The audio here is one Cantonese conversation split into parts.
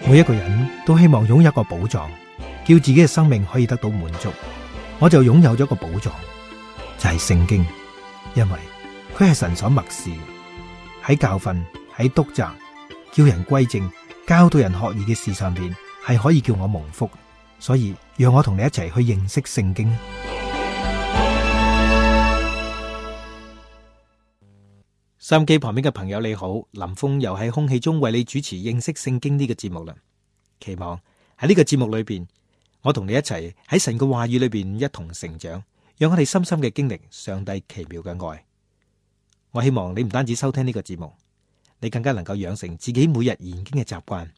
每一個人都希望擁有一個寶藏，叫自己嘅生命可以得到滿足。我就擁有咗一個寶藏，就係聖經，因為佢係神所默示，喺教訓、喺督責、叫人歸正、教導人學義嘅事上邊，係可以叫我蒙福。所以讓我同你一齊去認識聖經。收音機旁邊嘅朋友你好，林峰又喺空氣中為你主持認識聖經呢個節目啦。期望喺呢個節目裏邊，我同你一齊喺神嘅話語裏邊一同成長，讓我哋深深嘅經歷上帝奇妙嘅愛。我希望你唔單止收聽呢個節目，你更加能夠養成自己每日研經嘅習慣。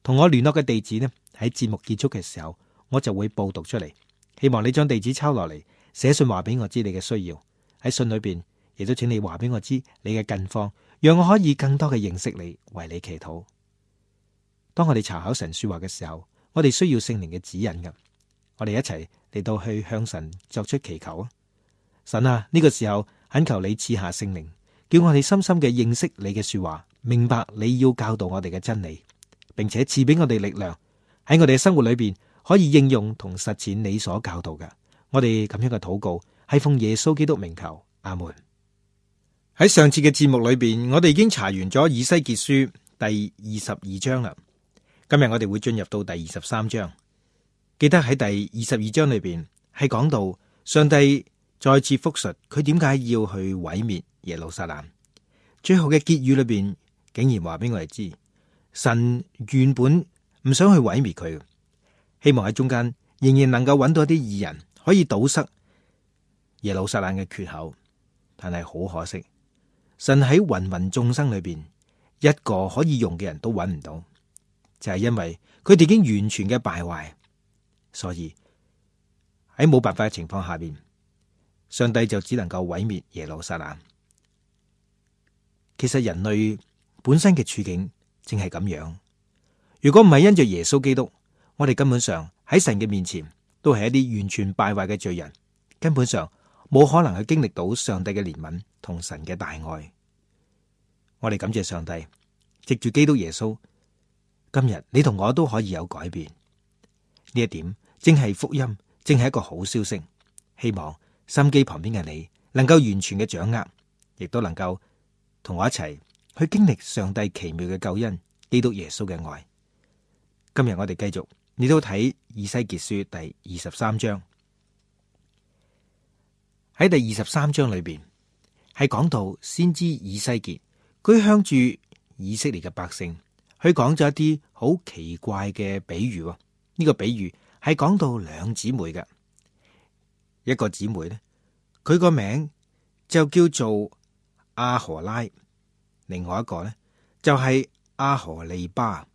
同我聯絡嘅地址呢，喺節目結束嘅時候，我就會報讀出嚟。希望你將地址抄落嚟，寫信話俾我知你嘅需要。喺信裏邊，亦都請你話俾我知你嘅近況，讓我可以更多嘅認識你，為你祈禱。當我哋查考神說話嘅時候，我哋需要聖靈嘅指引㗎。我哋一齊嚟到去向神作出祈求啊！神啊，呢個時候懇求你賜下聖靈，叫我哋深深嘅認識你嘅說話，明白你要教導我哋嘅真理，並且賜俾我哋力量，喺我哋嘅生活裏邊可以應用同實踐你所教導嘅。我哋咁樣嘅禱告係奉耶穌基督名求，阿門。喺上次嘅節目裏邊，我哋已經查完咗以西結書第22章啦。今日我哋會進入到第23章。記得喺第22章裏邊係講到上帝再次複述佢點解要去毀滅耶路撒冷。最後嘅結語裏邊竟然話俾我哋知，神原本唔想去毀滅佢，希望喺中間仍然能夠揾到一啲義人可以堵塞耶路撒冷嘅缺口。但係好可惜，神喺芸芸眾生裏邊一個可以用嘅人都揾唔到，就係因為佢哋已經完全嘅敗壞，所以喺冇辦法嘅情況下邊，上帝就只能夠毀滅耶路撒冷。其實人類本身嘅處境正係咁樣，如果唔係因着耶穌基督，我哋根本上喺神嘅面前都係一啲完全敗壞嘅罪人，根本上冇可能去經歷到上帝嘅憐憫同神嘅大愛。我哋感謝上帝，藉住基督耶穌，今日你同我都可以有改變。呢一點正係福音，正係一個好消息。希望心機旁邊嘅你能夠完全嘅掌握，亦都能夠同我一齊去經歷上帝奇妙嘅救恩，基督耶穌嘅愛。今日我哋繼續，你都睇以西結書第23章。喺第23章裏邊係講到先知以西結，佢向住以色列嘅百姓，佢講咗一啲好奇怪嘅比喻。呢個比喻係講到兩姊妹嘅，一個姊妹呢，佢個名就叫做阿荷拉，另外一個呢就係阿荷利巴。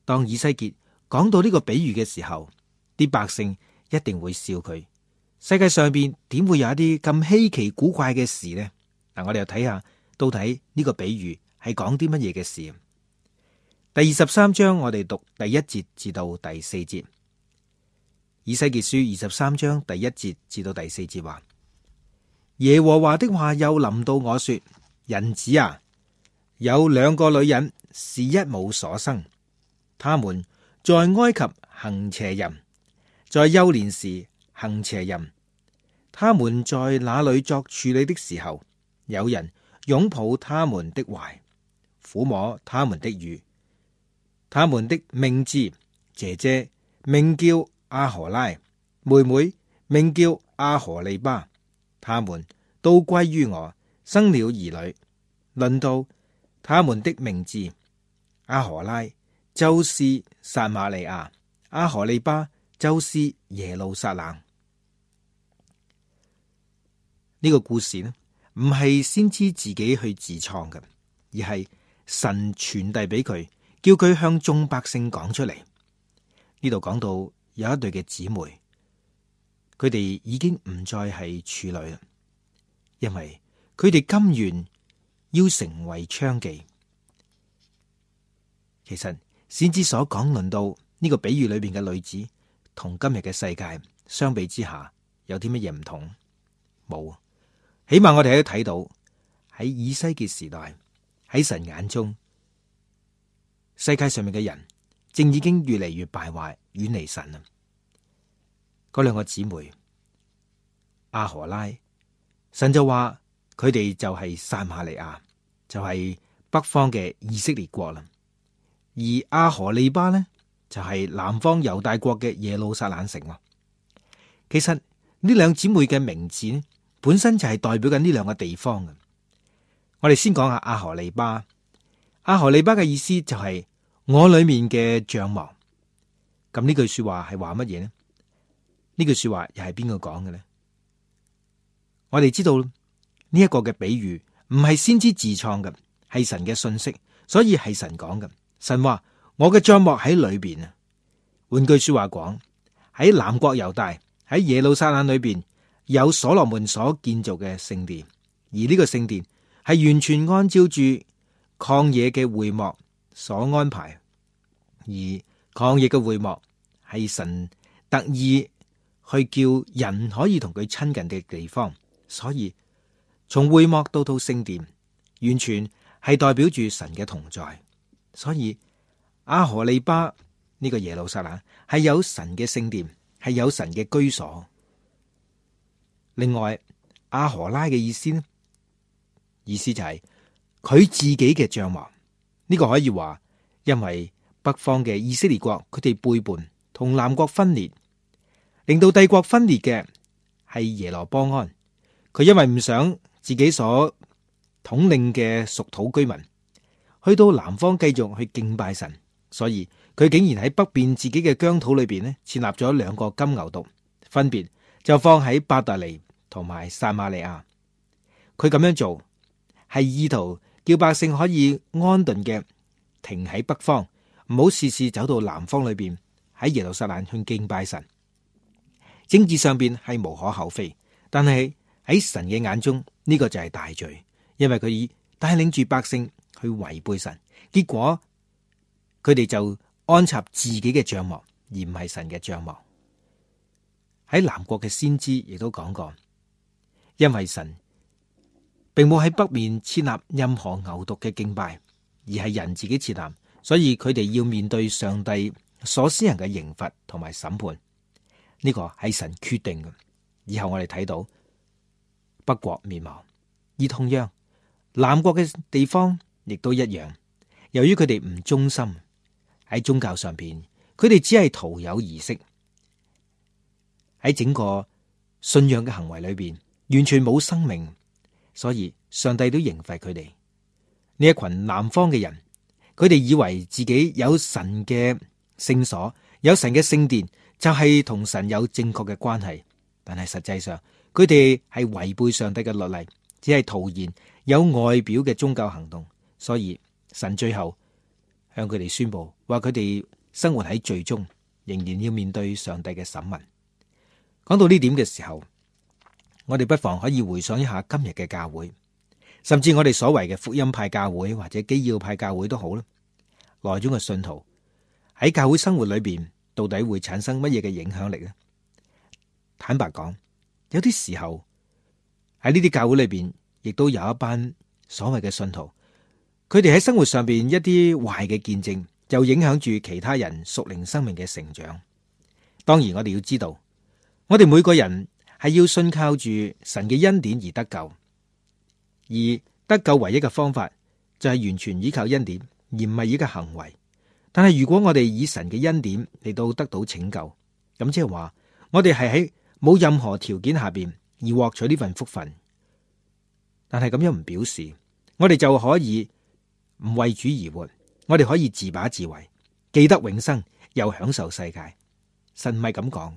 當以西結講到呢個比喻嘅時候，啲百姓一定會笑佢。世界上邊點會有一啲咁稀奇古怪嘅事呢？嗱，我哋又睇下到底呢個比喻係講啲乜嘢嘅事。第23章我哋讀第1節至到第4節。以西結書23章第1節至到第4節話：耶和華的話又臨到我說，人子啊，有2個女人是一母所生，他們在埃及行邪淫，在幼年時行邪淫，他們在那裏作處女的時候，有人擁抱他們的懷，撫摸他們的乳。他們的名字，姐姐名叫阿荷拉，妹妹名叫阿荷利巴，他們都歸於我，生了兒女。論到他們的名字，阿荷拉就是撒瑪利亞，阿荷利巴就是耶路撒冷。呢個故事呢，唔係先知自己去自創嘅，而係神傳遞俾佢，叫佢向眾百姓講出嚟。呢度講到有一對嘅姊妹，佢哋已經唔再係處女啦，因為佢哋甘願要成為娼妓。其實先知所講論到呢個比喻裏邊嘅女子，同今日嘅世界相比之下，有啲乜嘢唔同？冇。起碼我哋都睇到喺以西結時代，喺神眼中，世界上面嘅人正已經越嚟越敗壞，遠離神啦。嗰兩個姊妹阿荷拉，神就話佢哋就係撒瑪利亞，就係北方嘅以色列國啦。而阿荷利巴呢，就係南方猶大國嘅耶路撒冷城。其實呢兩姊妹嘅名字呢，本身就係代表緊呢兩個地方嘅。我哋先講下阿荷利巴。阿荷利巴嘅意思就係我裏面嘅帳幕。咁呢句說話係話乜嘢呢？呢句說話又係邊個講嘅呢？我哋知道呢一個嘅比喻唔係先知自創嘅，係神嘅信息，所以係神講嘅。神話我嘅帳幕喺裏邊啊。換句說話講，喺南國猶大，喺耶路撒冷裏邊有所羅門所建造嘅聖殿，而呢個聖殿係完全按照住曠野嘅會幕所安排，而曠野嘅會幕係神特意去叫人可以同佢親近嘅地方，所以從會幕到聖殿，完全係代表住神嘅同在。所以阿荷利巴呢個耶路撒冷係有神嘅聖殿，係有神嘅居所。另外阿荷拉嘅意思呢？意思就係佢自己嘅帳幕。呢個可以話，因為北方嘅以色列國佢哋背叛，同南國分裂，令到帝國分裂嘅係耶羅波安。佢因為唔想自己所統領嘅屬土居民去到南方繼續去敬拜神，所以佢竟然喺北邊自己嘅疆土裏邊呢，設立咗兩個金牛犢，分別就放喺伯特利同埋撒瑪利亞。佢咁樣做係意圖叫百姓可以安頓嘅停喺北方，唔好事事走到南方裏邊喺耶路撒冷去敬拜神。政治上邊係無可厚非，但係喺神嘅眼中呢個就係大罪，因為佢帶領住百姓去違背神，結果佢哋就安插自己嘅帳幕，而唔係神嘅帳幕。喺南國嘅先知亦都講過，因為神並冇喺北面設立任何牛犢嘅敬拜，而係人自己設立，所以佢哋要面對上帝所施行嘅刑罰同埋審判。呢個係神決定嘅。以後我哋睇到北國滅亡，而同樣南國嘅地方亦都一樣。由於佢哋唔忠心喺宗教上邊，佢哋只係徒有儀式，喺整個信仰嘅行為裏邊完全冇生命，所以上帝都刑罰佢哋。呢一群南方嘅人，佢哋以為自己有神嘅聖所，有神嘅聖殿，就係同神有正確嘅關係。但係實際上，佢哋係違背上帝嘅律例，只係徒然有外表嘅宗教行動。所以神最後向佢哋宣布，話佢哋生活喺罪中，仍然要面對上帝嘅審問。講到呢點嘅時候，我哋不妨可以回想一下今日嘅教會，甚至我哋所謂嘅福音派教會或者基要派教會都好啦。內中嘅信徒喺教會生活裏邊，到底會產生乜嘢嘅影響力呢？坦白講，有啲時候喺呢啲教會裏邊，亦都有一班所謂嘅信徒，佢哋喺生活上邊一啲壞嘅見證，就影響住其他人屬靈生命嘅成長。當然，我哋要知道，我哋每個人係要信靠住神嘅恩典而得救，而得救唯一嘅方法就係完全依靠恩典，而唔係依靠行為。但係如果我哋以神嘅恩典嚟到得到拯救，咁即係話我哋係喺冇任何條件下邊而獲取呢份福分。但係咁樣唔表示我哋就可以唔為主而活，我哋可以自把自為，記得永生又享受世界。神唔係咁講。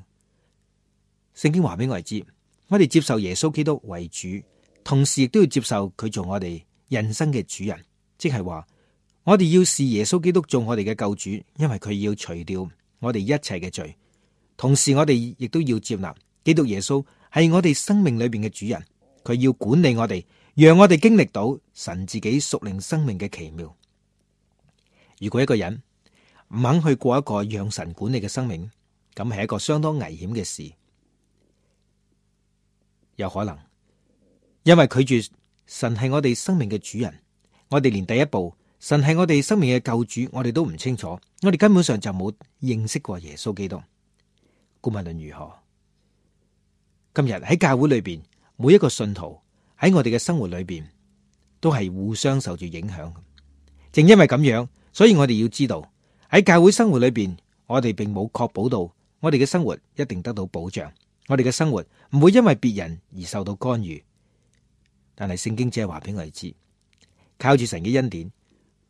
聖經話俾我哋知，我哋接受耶穌基督為主，同時亦都要接受佢做我哋人生嘅主人。即係話我哋要視耶穌基督做我哋嘅救主，因為佢要除掉我哋一切嘅罪。同時我哋亦都要接納基督耶穌係我哋生命裏邊嘅主人，佢要管理我哋，讓我哋經歷到神自己屬靈生命嘅奇妙。如果一個人唔肯去過一個讓神管理嘅生命，咁係一個相當危險嘅事。有可能因為拒絕神係我哋生命嘅主人，我哋連第一步神係我哋生命嘅救主，我哋都唔清楚，我哋根本上就冇認識過耶穌基督。無論如何，今日喺教會裏邊，每一個信徒喺我哋嘅生活裏邊都係互相受住影響。正因為咁樣，所以我哋要知道喺教會生活裏邊，我哋並冇確保到我哋嘅生活一定得到保障，我哋嘅生活唔會因為別人而受到干預。但係聖經只係話俾我哋知，靠住神嘅恩典，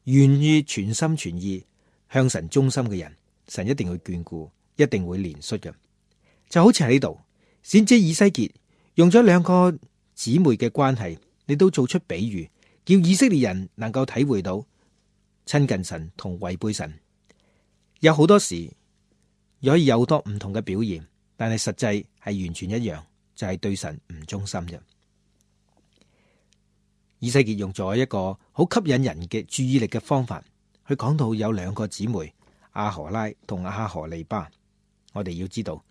願意全心全意向神忠心嘅人，神一定會眷顧，一定會憐恤嘅。就好似喺呢度，先知以西結用咗兩個姊妹嘅關係，你都做出比喻，叫以色列人能夠體會到親近神同違背神。有好多時可以有好多唔同嘅表現，但係實際係完全一樣，就係對神唔忠心啫。以西結用咗一個好吸引人嘅注意力嘅方法，去講到有兩個姊妹亞何拉同亞何利巴。我哋要知道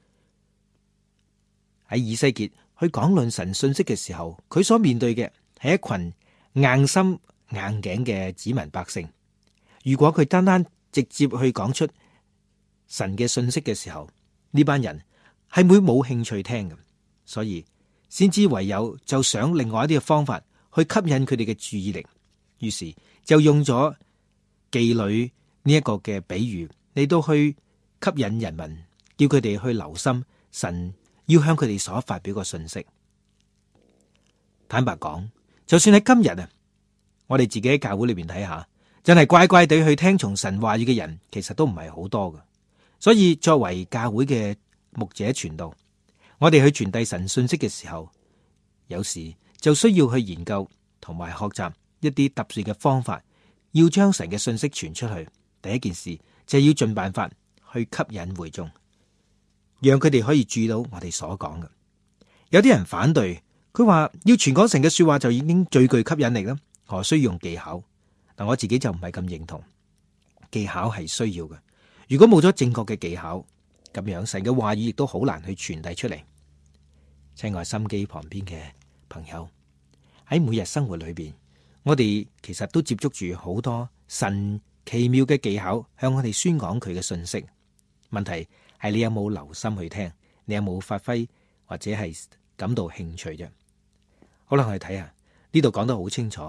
喺以西結去講論神信息嘅時候，佢所面對嘅係一群硬心硬頸嘅子民百姓。如果佢單單直接去講出神嘅信息嘅時候，呢班人係會冇興趣聽嘅，所以先知唯有就想另外一啲嘅方法去吸引佢哋嘅注意力，於是就用咗妓女呢一個嘅比喻嚟到去吸引人民，叫佢哋去留心神要向佢哋所發表嘅信息。坦白講，就算喺今日啊，我哋自己喺教會裏邊睇下，真係乖乖地去聽從神話語嘅人，其實都唔係好多嘅。所以作為教會嘅牧者傳道，我哋去傳遞神信息嘅時候，有時就需要去研究同埋學習一啲特殊嘅方法，要將神嘅信息傳出去。第一件事就係要盡辦法去吸引會眾，讓佢哋可以注意到我哋所講嘅。有啲人反對，佢話要傳講神嘅說話就已經最具吸引力啦，何須用技巧？但我自己就唔係咁認同，技巧係需要嘅。如果冇咗正確嘅技巧，咁樣神嘅話語亦都好難去傳遞出嚟。親愛心機旁邊嘅朋友，喺每日生活裏邊，我哋其實都接觸住好多神奇妙嘅技巧，向我哋宣講佢嘅信息。問題係你有冇留心去聽，你有冇發揮或者係感到興趣啫？好啦，我哋睇下呢度講得好清楚，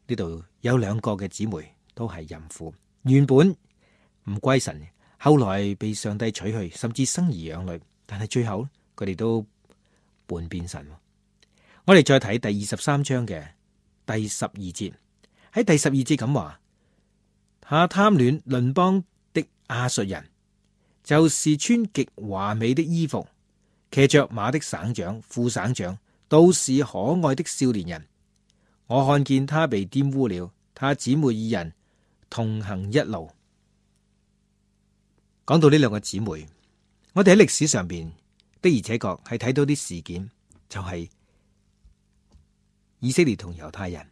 呢度有兩個嘅姊妹都係淫婦，原本唔歸神，後來被上帝取去，甚至生兒養女，但係最後佢哋都叛變神。我哋再睇第23章嘅第12節，喺第12節咁話：他貪戀鄰邦的亞述人，就是穿極華美的衣服、騎着馬的省長、副省長，都是可愛的少年人。我看見他被玷污了，他姊妹二人同行一路。講到呢兩個姊妹，我哋喺歷史上邊的而且確係睇到啲事件，就係以色列同猶太人，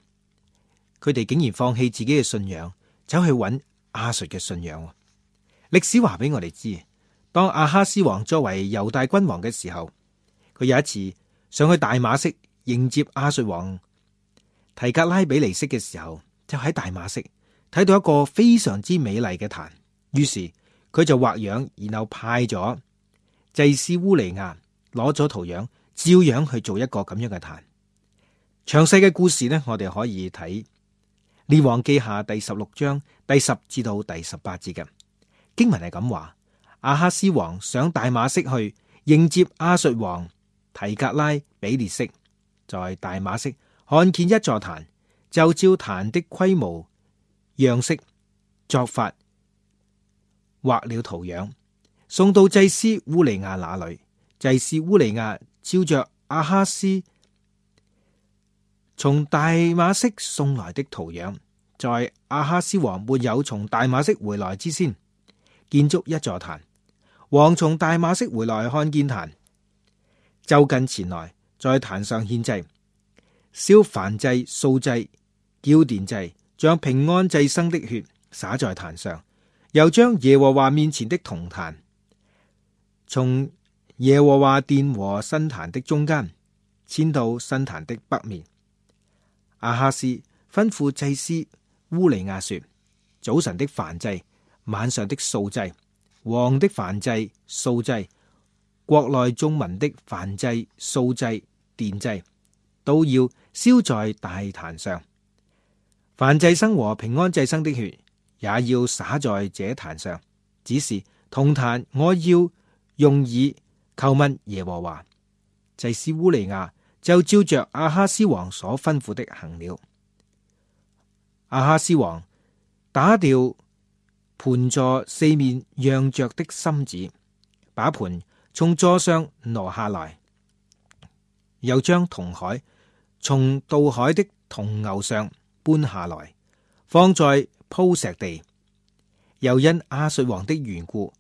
佢哋竟然放棄自己嘅信仰，走去揾亞述嘅信仰。歷史話俾我哋知，當亞哈斯王作為猶大君王嘅時候，佢有一次上去大馬色迎接亞述王提格拉比尼色嘅時候，就喺大馬色睇到一個非常之美麗嘅壇，於是佢就畫樣，然後派咗祭司烏利亞攞咗圖樣，照樣去做一個咁樣嘅壇。詳細嘅故事呢，我哋可以睇列王記下第16章第10至到第18節嘅經文係咁話：亞哈斯王上大馬色去迎接亞述王提格拉比列色，在大馬色看見一座壇，就照壇的規模樣式作法畫了圖樣，送到祭司烏利亞那裏。祭司烏利亞照着亞哈斯從大馬色送來的圖樣，在亞哈斯王沒有從大馬色回來之先，建築一座壇。王從大馬色回來看見壇，就近前來，在壇上獻祭，燒燔祭、素祭、澆奠祭，將平安祭牲的血灑在壇上，又將耶和華面前的銅壇從耶和華殿和新壇的中間遷到新壇的北面。亞哈斯吩咐祭司烏利亞說：早晨的燔祭、晚上的素祭、王的燔祭、素祭、國內眾民的燔祭、素祭、奠祭，都要燒在大壇上。燔祭牲和平安祭牲的血也要灑在這壇上。只是銅壇我要用以求問耶和華。祭司烏利亞就照着亞哈斯王所吩咐的行了。亞哈斯王打掉盤座四面讓着的心子，把盤從座上挪下來，又將銅海從渡海的銅牛上搬下來，放在鋪石地。又因亞述王的緣故，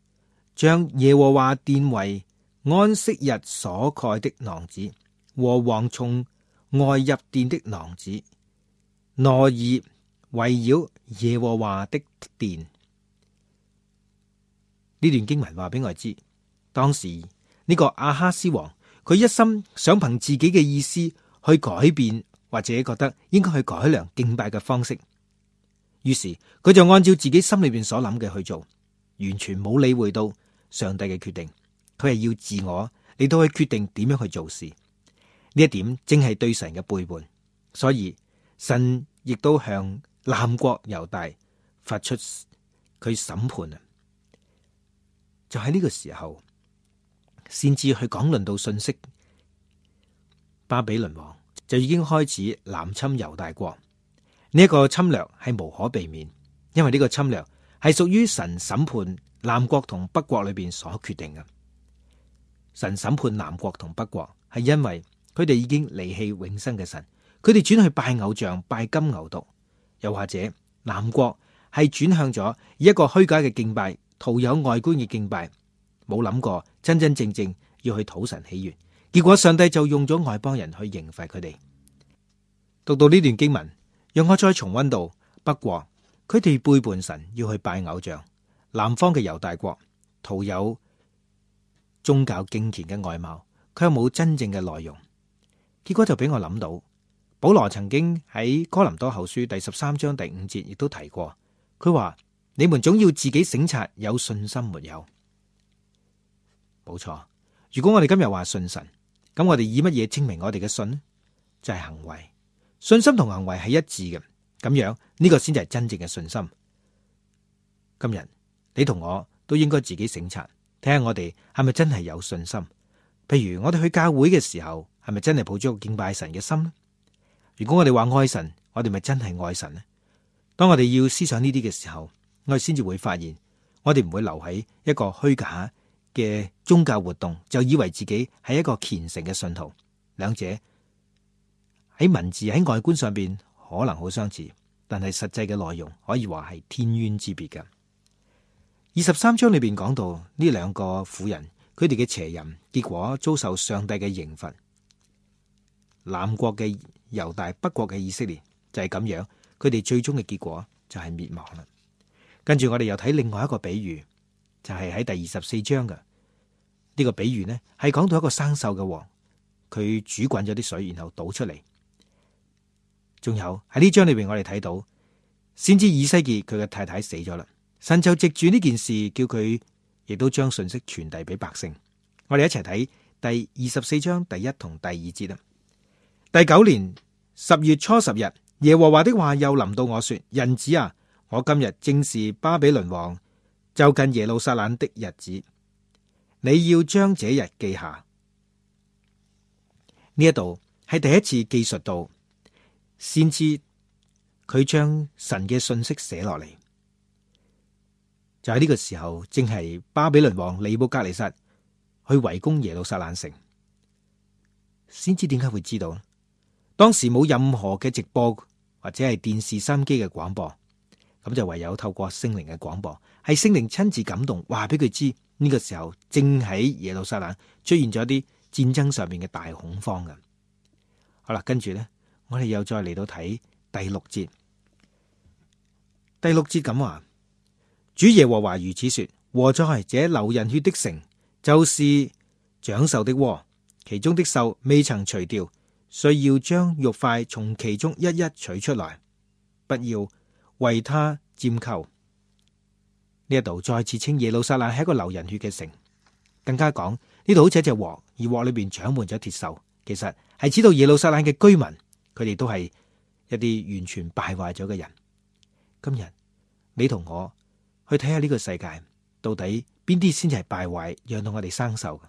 將耶和華殿為安息日所蓋的廊子和蝗蟲外入殿的廊子，挪移圍繞耶和華的殿。呢段經文話俾我知，當時呢個亞哈斯王，佢一心想憑自己嘅意思去改變，或者覺得應該去改良敬拜嘅方式。於是佢就按照自己心裏邊所諗嘅去做，完全冇理會到上帝嘅決定。佢係要自我嚟到去決定點樣去做事。呢一點正係對神嘅背叛，所以神亦都向南國猶大發出佢審判啊！就喺呢個時候，先至去講論到信息，巴比倫王就已經開始南侵猶大國。呢一個侵略係無可避免，因為呢個侵略係屬於神審判南國同北國裏邊所決定嘅。神審判南國同北國係因為佢哋已經離棄永生嘅神，佢哋轉去拜偶像、拜金牛犢，又或者南國係轉向咗以一個虛假嘅敬拜、徒有外觀嘅敬拜，冇諗過真真正正要去討神喜悅，結果上帝就用咗外邦人去刑罰佢哋。讀到呢段經文，讓我再重溫到北國，佢哋背叛神，要去拜偶像；南方嘅猶大國，徒有宗教敬虔嘅外貌，佢又冇真正嘅內容。結果就俾我諗到，保羅曾經喺哥林多後書第13章第5節亦都提過，佢話：你們總要自己省察有信心沒有。冇錯，如果我哋今日話信神，咁我哋以乜嘢證明我哋嘅信呢？就係行為。信心同行為係一致嘅，咁樣呢個先至係真正嘅信心。今日你同我都應該自己省察，睇下我哋係咪真係有信心。譬如我哋去教會嘅時候，係咪真係抱咗個敬拜神嘅心呢？如果我哋話愛神，我哋咪真係愛神呢？當我哋要思想呢啲嘅時候，我哋先至會發現，我哋唔會留喺一個虛假嘅宗教活動，就以為自己係一個虔誠嘅信徒。兩者喺文字喺外觀上邊可能好相似，但係實際嘅內容可以話係天淵之別嘅。23章裏邊講到呢兩個婦人，佢哋嘅邪淫，結果遭受上帝嘅刑罰。南國嘅猶大，北國嘅以色列就係咁樣，佢哋最終嘅結果就係滅亡啦。跟住我哋又睇另外一個比喻，就係喺第24章嘅呢個比喻呢，係講到一個生鏽嘅王，佢煮滾咗啲水，然後倒出嚟。仲有喺呢章裏邊，我哋睇到先知以西結佢嘅太太死咗啦，神就藉住呢件事叫佢亦都將信息傳遞俾百姓。我哋一齊睇第24章第1同第2節啦。第9年10月初10日，耶和華的話又臨到我說：人子啊，我今日正是巴比倫王就近耶路撒冷的日子，你要將這日記下。呢一度係第一次記述到先知佢將神嘅信息寫落嚟，就喺呢個時候，正係巴比倫王尼布甲尼撒去圍攻耶路撒冷城。先知點解會知道呢？當時冇任何嘅直播或者係電視收音機嘅廣播，咁就唯有透過聖靈嘅廣播，係聖靈親自感動，話俾佢知呢個時候正喺耶路撒冷出現咗一啲戰爭上面嘅大恐慌嘅。好啦，跟住呢，我哋又再嚟到睇第6節。第6節咁話：主耶和華如此說，禍哉，這流人血的城，就是長獸的窩，其中的獸未曾除掉，需要將肉塊從其中一一取出來，不要為他拈鬮，呢一度再次稱耶路撒冷係一個流人血嘅城，更加講呢度好似一隻鑊，而鑊裏邊長滿咗鐵鏽，其實係指到耶路撒冷嘅居民，佢哋都係一啲完全敗壞咗嘅人。今日你同我去睇下呢個世界，到底邊啲先至係敗壞，讓到我哋生鏽嘅，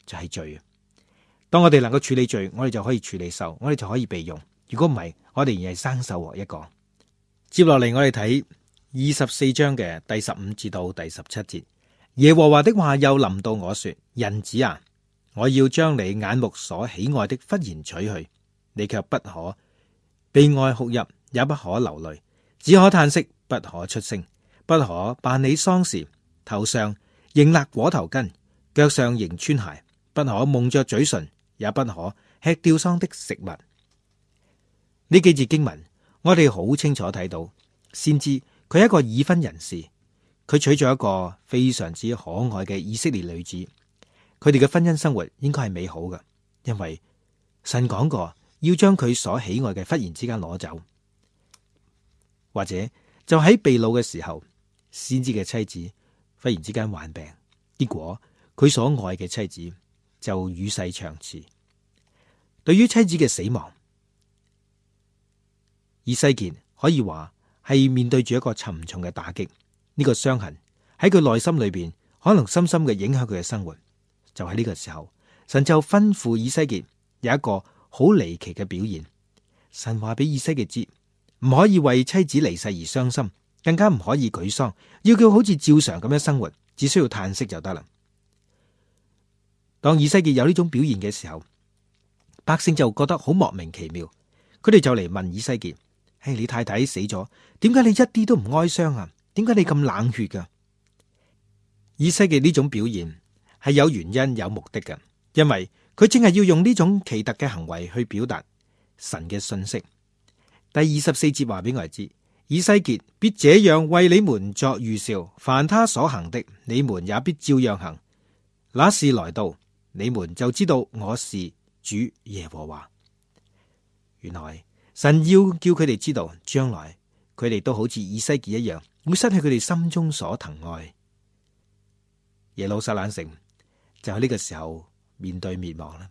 就係罪。當我哋能夠處理罪，我哋就可以處理鏽，我哋就可以備用。如果唔係，我哋而係生鏽鑊一個。接落嚟我哋睇24章嘅第15至到第17節。耶和華的話又臨到我說：人子啊，我要將你眼目所喜愛的忽然取去，你卻不可悲哀哭泣，也不可流淚，只可嘆息，不可出聲，不可辦理喪事，頭上仍勒裹頭巾，腳上仍穿鞋，不可蒙着嘴唇，也不可吃吊喪的食物。呢幾節經文，我哋好清楚睇到，先知佢係一個已婚人士，佢娶咗一個非常之可愛嘅以色列女子，佢哋嘅婚姻生活應該係美好嘅，因為神講過要將佢所喜愛嘅忽然之間攞走，或者就喺被擄嘅時候，先知嘅妻子忽然之間患病，結果佢所愛嘅妻子就與世長辭。對於妻子嘅死亡，以西結可以話係面對住一個沉重嘅打擊，呢個傷痕喺佢內心裏邊可能深深嘅影響佢嘅生活。就喺呢個時候，神就吩咐以西結有一個好離奇嘅表現。神話俾以西結知，唔可以為妻子離世而傷心，更加唔可以舉喪，要佢好似照常咁樣生活，只需要嘆息就得啦。當以西結有呢種表現嘅時候，百姓就覺得好莫名其妙，佢哋就嚟問以西結：你太太死咗，點解你一啲都唔哀傷啊？點解你咁冷血噶？以西結呢種表現係有原因有目的嘅，因為佢正係要用呢種奇特嘅行為去表達神嘅信息。第24節話俾我哋知，以西結必這樣為你們作預兆，凡他所行的，你們也必照樣行。那時來到，你們就知道我是主耶和華。原來神要叫佢哋知道，將來佢哋都好似以西結一樣，會失去佢哋心中所疼愛。耶路撒冷城就喺呢個時候面對滅亡啦。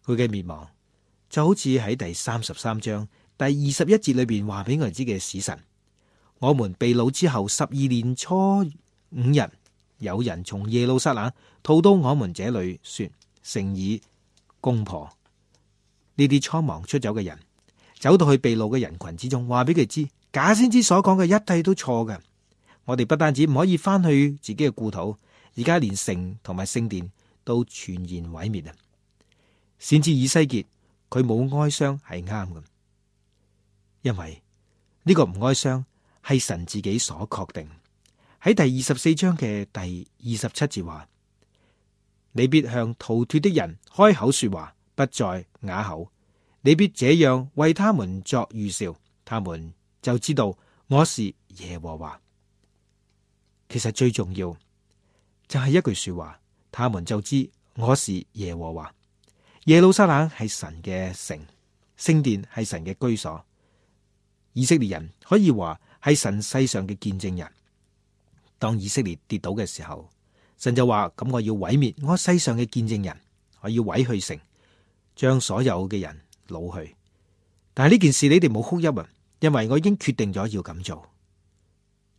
佢嘅滅亡就好似喺第33章第21節裏邊話俾我哋知嘅史實。我們被擄之後12年初5日，有人從耶路撒冷逃到我們這裏，說城已攻破。呢啲蒼忙出走嘅人走到去被擄嘅人群之中，話俾佢知假先知所講嘅一切都錯嘅。我哋不單止唔可以翻去自己嘅故土，而家連城同埋聖殿都全然毀滅啊！先知以西結佢冇哀傷係啱嘅，因為呢個唔哀傷係神自己所確定。喺第24章嘅第27節話：你必向逃脫的人開口說話，不再啞口。你必這樣為他們作預兆，他們就知道我是耶和華。其實最重要就係一句說話，他們就知我是耶和華。耶路撒冷係神嘅城，聖殿係神嘅居所。以色列人可以話係神世上嘅見證人。當以色列跌倒嘅時候，神就話：咁我要毀滅我世上嘅見證人，我要毀去城，將所有嘅人擄去。但係呢件事你哋冇哭泣啊，因為我已經決定咗要咁做。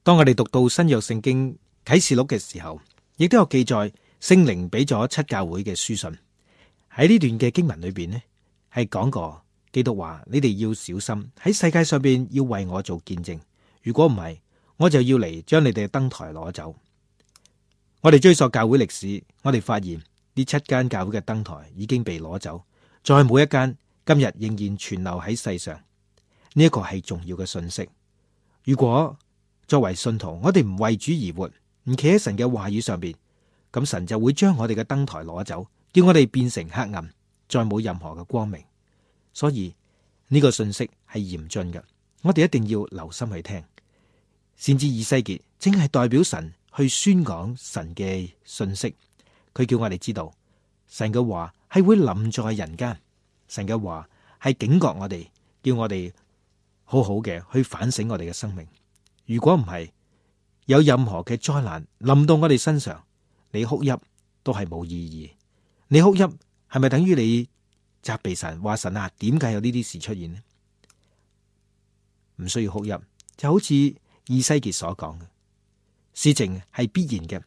當我哋讀到新約聖經啟示錄嘅時候，亦都有記載聖靈俾咗7教會嘅書信。喺呢段嘅經文裏邊呢，係講過基督話：你哋要小心喺世界上邊要為我做見證，如果唔係，我就要嚟將你哋嘅燈台攞走。我哋追溯教會歷史，我哋發現呢7間教會嘅燈台已經被攞走，再冇一間今日仍然存留喺世上。呢一個係重要嘅信息。如果作為信徒，我哋唔為主而活，唔企喺神嘅話語上邊，咁神就會將我哋嘅燈台攞走，叫我哋變成黑暗，再冇任何嘅光明。所以呢個信息係嚴峻嘅，我哋一定要留心去聽。先知以西結正係代表神去宣講神嘅信息，佢叫我哋知道神嘅話係會臨在人間，神嘅話係警覺我哋，叫我哋好好嘅去反省我哋嘅生命。如果唔係，有任何嘅災難臨到我哋身上，你哭泣都係冇意義。你哭泣係咪等於你責備神，話神啊，點解有呢啲事出現呢？唔需要哭泣，就好似以西結所講嘅，事情係必然嘅。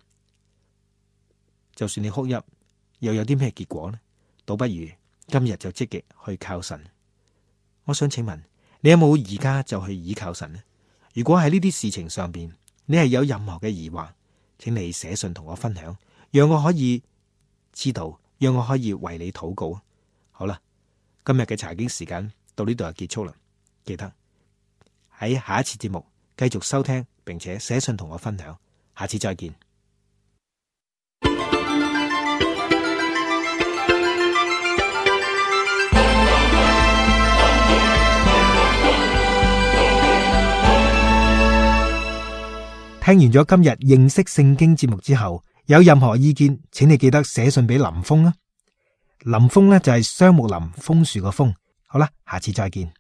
就算你哭泣，又有啲咩結果呢？倒不如今日就積極去靠神。我想請問，你有冇而家就去倚靠神呢？如果喺呢啲事情上邊，你係有任何嘅疑惑，請你寫信同我分享，讓我可以知道，讓我可以為你禱告。好啦，今日嘅查經時間到呢度就結束啦。記得喺下一次節目繼續收聽，並且寫信同我分享。下次再見。聽完咗今日認識聖經節目之後，有任何意見，請你記得寫信俾林峰啦。林峰呢就係雙木林楓樹個楓。好啦，下次再見。